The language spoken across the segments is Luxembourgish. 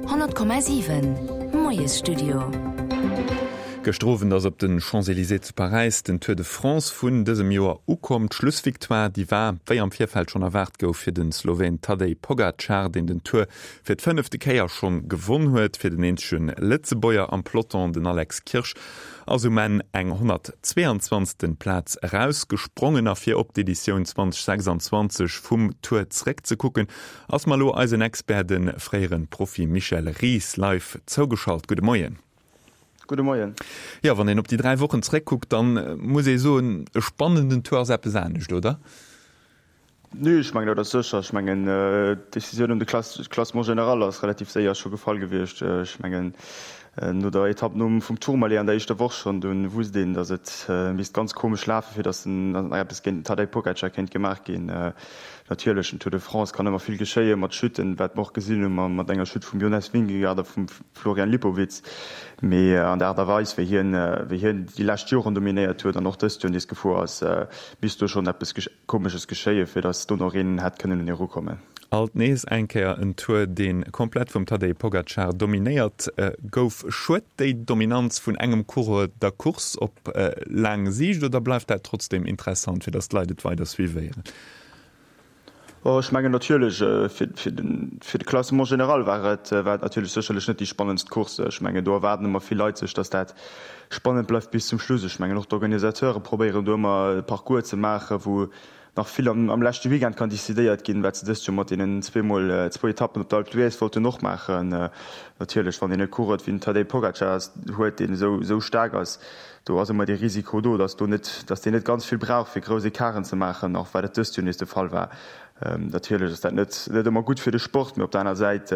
100,7 Moiesstudio. Gëschter Owend ass op de Champs-Elysées zu Paräis den Tour de France vun dësem Joer ukomm. D'Schlussvictoire, déi war, wéi am Virfeld schonn erwaart gouf, fir de Sloween Tadej Pogacar, deen den Tour fir d'fënnefte Kéier schonn gewonn huet. Fir den eenzege Lëtzebuerger am Peloton, den Alex Kirsch, ass um Enn eng 122. Plaz erausgesprongen. A fir op d'Editioun 2026 vum Tour zeréckzekucken, Ass mer elo eisen Expert, de fréieren Profi Michel Ries live zougeschalt. Gudde Moien. Gudde Moien. Jo, wann een op déi 3 Wochen zeréckkuckt, dann muss ee soen, e spannenden Tour ass eppes anescht, oder? Nee, ech mengen dat ass sécher. Ech mengen d'Decisioun ëm de Classement général ass relativ séier scho gefall gewiescht. Ech mengen no der Etapp nom vum Tourmalet an der éischter Woch schonn, dunn wusst een, datt et misst ganz komesch lafen, fir datt nach eppes géint den Tadej Pogacar kéint gemaach ginn. Natierlech, den Tour de France kann ëmmer vill geschéien, mat Chutten, wat mer och gesinn hu mat enger Chute vum Jonas Vingegaard a vum Florian Lipowitz. Mee an der Aart a Weis, wéi hien, wéi hien déi lescht Joren dominéiert huet an och dëst Joer nees gefuer ass, misst do schonn eppes Komesches geschéien, fir datt do nach een hätt kënnen un hie erukommen. Alt nees eng Kéier en Tour, dee komplett vum Tadej Pogacar dominéiert gouf. Schued déi Dominanz vun engem Coureur der Course op laang Siicht oder bleift dat trotzdeem interessant, fir datt d'Leit et weider suivéieren? Oh, ech mengen natierlech, fir de Classement général war et natierlech sécherlech net déi spannendst Course. Ech mengen, do erwaarden ëmmer vill Leit sech, datt dat spannend bleift bis zum Schluss. Ech mengen, och d'Organisateure probéieren do ëmmer e Parcours ze maachen, wou nach vill am leschte Weekend kann decidéiert ginn, wat se dëst Joer mat deenen zweemol zwou Etappen op d'Alpe d'Huez wollten och maachen. Natierlech, wann een e Coureur wéi den Tadej Pogacar huet, deen esou staark ass, do ass ëmmer dee Risiko do, datt do net, datt deen net ganz vill brauch, fir grouss Ecarten ze maachen, och wat et dëst Joer nees de Fall war. Natierlech ass dat net net ëmmer gutt fir de Sport, mee op der aner Säit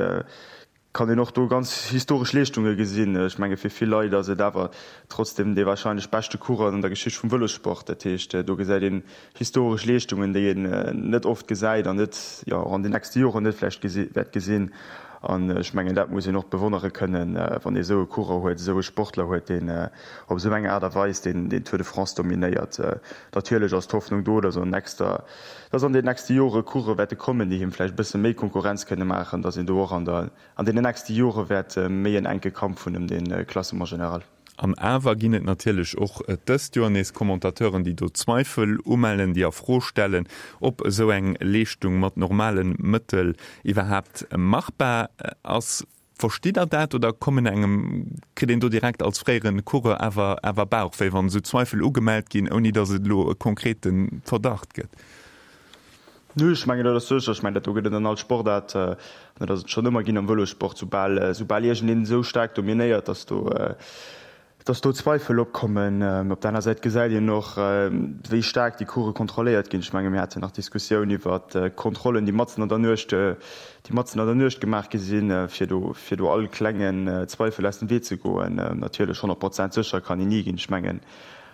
kann een och do ganz historesch Leeschtunge gesinn. Ech menge fir vill Leit ass et awer trotzdem dee warscheinlech beschte Coureur an der Geschicht vum Vëlossport. Dat heescht, do gesäit een historesch Leeschtungen, déi een net oft gesäit an net, jo, och an den nächste Joren net vläicht wäert gesinn. An ech mengen, dat muss een och bewonnere kënnen, wann ee esou e Coureur huet, esou e Sportler huet, deen op esou eng Aart a Weis deen Tour de France dominéiert. Natierlech ass d'Hoffnung do, datt an nächster, datt an den nächste Jore Coureuren wäerte kommen, déi him vläicht e bësse méi Konkurrenz kënne maachen, datt een do och an der, an deenen nächste Jore wäert méi en enke Kampf hunn ëm de Classement général. An awer ginn et natierlech och dëst Joer nees Commentateuren, déi do Zweifel umellen, déi a Fro stellen, ob esou eng Leeschtung mat normale Mëttel iwwerhaapt machbar ass. Verstitt Der dat oder kommen engem, kritt een do direkt als fréiere Coureur awer awer Bauchwéi, wann esou Zweifel ugemellt ginn, ouni datt et elo e konkrete Verdacht gëtt? Nö, ech mengen dat ass sécher. Ech mengen dat do gëtt et an all Sportaart, an dat ass et schonn ëmmer ginn am Vëlossport, soubal soubal iergendeen esou staark dominéiert, datt do datt do Zweifel opkommen. Op der aner Säit gesäit een och, wéi staark déi Course kontrolléiert ginn. Ech menge mir haten nach d'Diskussioun iwwert d'Kontrollen, déi matzen an der Nuecht déi matzen an der Nuecht gemaach gi sinn, fir do fir do all klengen Zweifel aus dem Wee ze goen. Natierlech 100 Prozent sécher kann een ni ginn. Ech mengen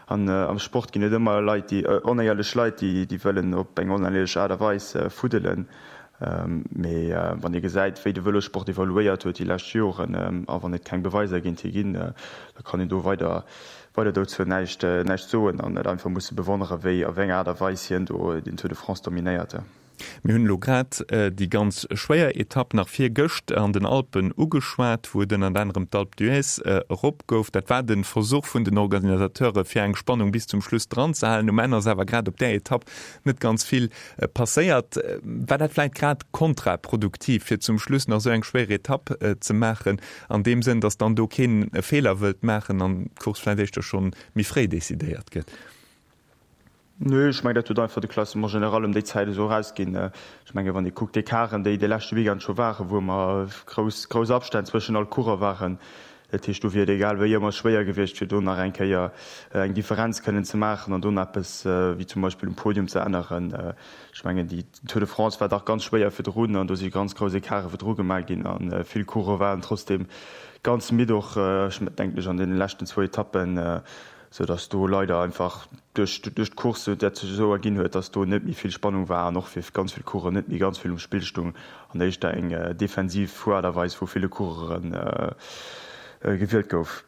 An am Sport ginn et ëmmer Leit, déi, onéierlech Leit, déi, déi wëllen op eng onéierlech Aart a Weis fuddelen. Mee wann ee gesäit, wéi de Vëlossport evoluéiert huet déi lescht Joren, a wann et keng Beweiser géint hie ginn, da kann een do weider, weider dozou näischt, näischt soen an et einfach musse bewonnere wéi, a wéi enger Aart a Weis hien do den Tour de France dominéiert. Mir hunn elo grad déi ganz schwéier Etapp nach virgëscht an den Alpen ugeschwat, wou et ënnert anerem d'Alpe d'Huez erop gouf. Dat war de Versuch vun den Organisateure fir eng Spannung bis zum Schluss dran ze halen. Um Enn ass awer grad op där Etapp net ganz vill passéiert. War dat vläit grad kontraproduktiv, fir zum Schluss nach esou eng schwéier Etapp ze maachen, an deem Sënn, datt dann do keen e Feeler wëllt maachen an d'Course vläicht éischter schonn méi fréi decidéiert gëtt? Nö, ech mengen, dat huet einfach de Classement général ëm déi Zäit esou erausginn. Ech mengen, wann ee kuckt, d'Ecarten, déi de leschte Weekend scho waren, wou ëmmer grouss, grouss Abstänn zwëschen all Coureur waren, dat heescht, do wier et egal wéi ëmmer schwéier gewiescht, fir do nach eng Kéier eng Differenz kënnen ze maachen an do nach eppes, wéi zum Beispill um Podium, ze änneren. Ech mengen, déi Tour de France war dach ganz schwéier virdrun an do si ganz grouss Ecarte virdru gemaach ginn a vill Coureuren waren trotzdeem ganz midd och, ech denken ech, an deene leschten zwou Etappen. sou dass do leider einfach duerch duerch d'Course dat sech esou erginn huet, dass do net méi vill Spannung war an och fir ganz vill Coureuren net méi ganz vill um Spill stung an éischter eng defensiv Fueraart a Weis vu ville Coureuren gewielt gouf.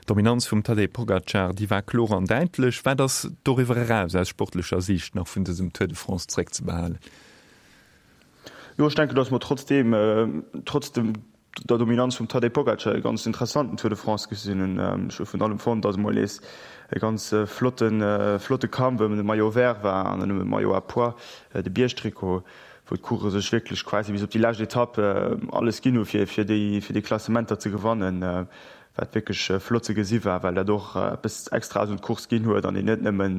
D'Dominanz vum Tadej Pogacar, déi war kloer an däitlech. Wat ass doriwwer eraus aus sportlecher Siicht nach vun dësem Tour de France zréckzebehalen? Jo, ech denken, dass mer trotzdeem, trotz dem. der Dominanz vum Tadej Pogacar e ganz interessanten Tour de France gesinn hunn. Ech hu vun allem fonnt, datt emol nees e ganz flotten, flotte Kampf ëm de Maillot vert war an ëm de Maillot à pois, de Biergtrikot, wou d'Coureuren sech wierklech quasi bis op déi lescht Etapp alles ginn hu fir fir déi fir déi Klassementer ze gewannen, wat wierklech flott ze gesi war, well dat och eppes Extraes un d'Course ginn huet an een net nëmmen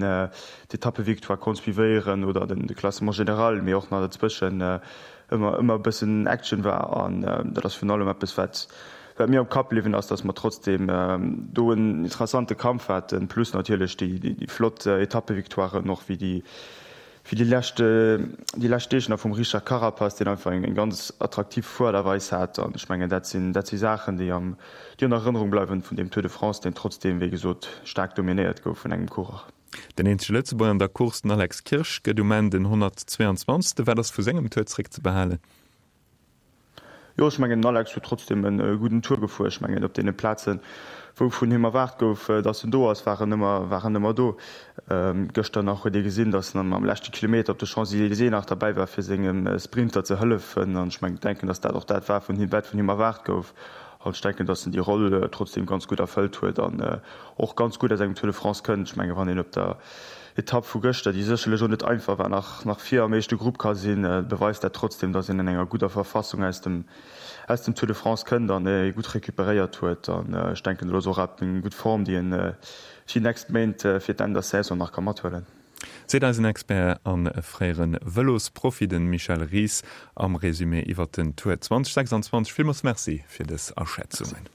d'Etappevictoire konnt suivéieren oder de Classement général, mee och nach dozwëschen ëmmer ëmmer e bëssen Action war. An dat ass virun allem eppes, wat wat mir am Kapp bliwwen ass, datt mer trotzdeem do en interessante Kampf haten, plus natierlech déi déi flott Etappevictoiren och wéi déi Wéi déi lescht déi lescht Deeg nach vum Richard Carapaz, deen einfach eng ganz attraktiv Fueraart a Weis hat. An ech mengen, dat sinn dat si Saachen, déi am déi an Erënnerung bleiwen vun deem Tour de France, deen trotzdeem, wéi gesot, staark dominéiert gouf vun engem Coureur. Den eenzege Lëtzebuerger an der Course, den Alex Kirsch, gëtt um Enn den 122. Wat ass vu sengem Tour zeréckzebehalen? Jo, ech mengen den Alex huet trotzdem e gudden Tour gefuer. Ech mengen op deene Plazen, wou vun him erwaart gouf, datt en do ass, war en ëmmer, war en ëmmer do. Gëschter nach huet ee gesinn, datt en am leschte Kilometer op de Champs-Élysées nach derbäi war, fir sengem Sprinter ze hëllefen. An ech mengen, denken, datt dat och dat war, vun him, wat vun him erwaart gouf. An ech denken, datt en déi Roll trotzdem ganz gutt erfëllt huet an och ganz gutt aus engem Tour de France kënnt. Ech mengen, wann een op der Etapp vu gëschter, déi sécherlech och net einfach war, nach nach vir am éischte Grupp ka sinn, beweist dat trotzdeem, datt een an enger gudder Verfassung aus dem aus dem Tour de France kënnt an ee gutt recuperéiert huet. An ech denken, dat ass och eng gutt Form, déi een fir déi nächst Méint, fir d'Enn der Saison nach ka mathuelen. Seet eisen Expert a fréiere Vëlosprofi, de Michel Ries, am Résumé iwwer den Tour 2026. Villmools Merci fir dës Aschätzungen.